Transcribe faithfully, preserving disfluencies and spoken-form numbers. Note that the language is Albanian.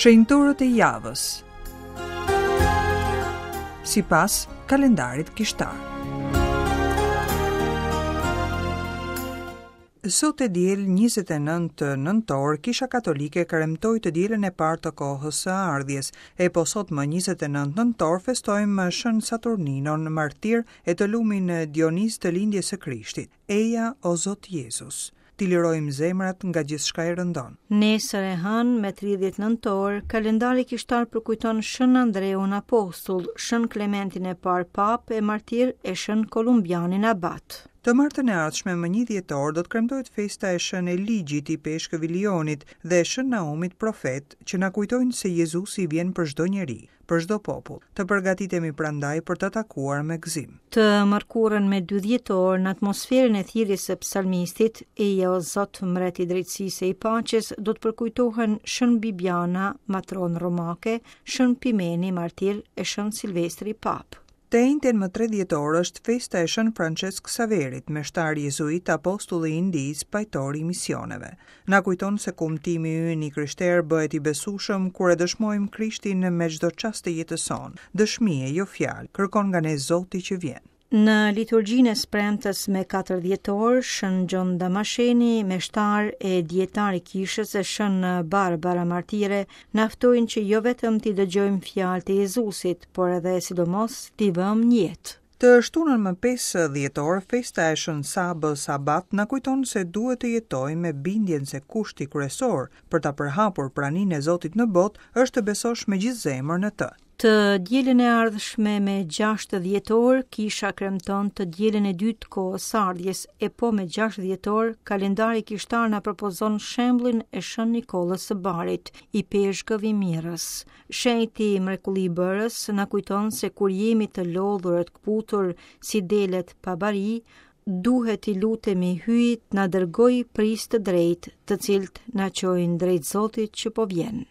Shenjtorët e javës sipas kalendarit kishtar. Sot e diel njëzet e nëntë nëntor, Kisha Katolike kremtoi të dielën e parë të kohës së ardhjes, e po sot më njëzet e nëntë nëntor festojmë Shën Saturninon, martir, e të lumin Dionis të lindjes së Krishtit. Eja, o Zot Jezus, t'i lirojmë zemrat nga gjithçka e rëndon. Nesër e hënë me tridhjetë nëntor, kalendari kishtar përkujton Shën Andreun Apostull, Shën Klementin e parë Papë e martir e Shën Kolumbianin Abat. Të martën e ardhshme më një dhjetor do të kremtohet festa e Shën Eligjit, ipeshkëv i Lionit, dhe Shën Naumit profet, që na kujtojnë se Jezusi vjen për çdo njeri, për çdo popull. Të përgatitemi prandaj për të takuar me gëzim. Të mërkurën me dy dhjetor, në atmosferën e thirrjes së psalmistit, "Eja o Zot, mbret i drejtësisë e i paqes", do të përkujtohen Shën Bibiana, matron romake, Shën Pimeni, martir, e Shën Silvestri Papë. Të enjten më tre dhjetor është festa e Shën Francesc Saverit, meshtar jezuit, apostulli i Indisë, pajtor i misioneve. Na kujton se kumtimi ynë i krishterë bëhet i besueshëm kur e dëshmojmë Krishtin me çdo çast të jetës sonë. Dëshmi e jo fjalë, kërkon nga ne Zoti që vjen. Në liturgjinë e së premtes me katër dhjetor, Shën Gjon Damasheni, meshtar e dietar i kishës, e Shën Barbara Martire, na ftojnë që jo vetëm t'i dëgjojmë fjalët e Jezusit, por edhe sidomos t'i vëmë në jetë. Të shtunën më pesë dhjetor, festa e Shën Sabës Abat na kujton se duhet të jetojmë me bindjen se kushti kryesor për ta përhapur praninë e Zotit në botë është të besosh me gjithë zemër në të. Të dielën e ardhshme me gjashtë dhjetor, kisha kremton të dielën e dytë kohës së ardhjes, e po me gjashtë dhjetor, kalendari kishtar na propozon shembullin e Shën Nikollës së Barit, ipeshkëv i Mirës. Shenjti mrekullibërës na kujton se kur jemi të lodhur e të këputur si delet pa bari, duhet i lutemi Hyjit na dërgoj prijës të drejtë, të cilët na çojnë drejt Zotit që po vjen.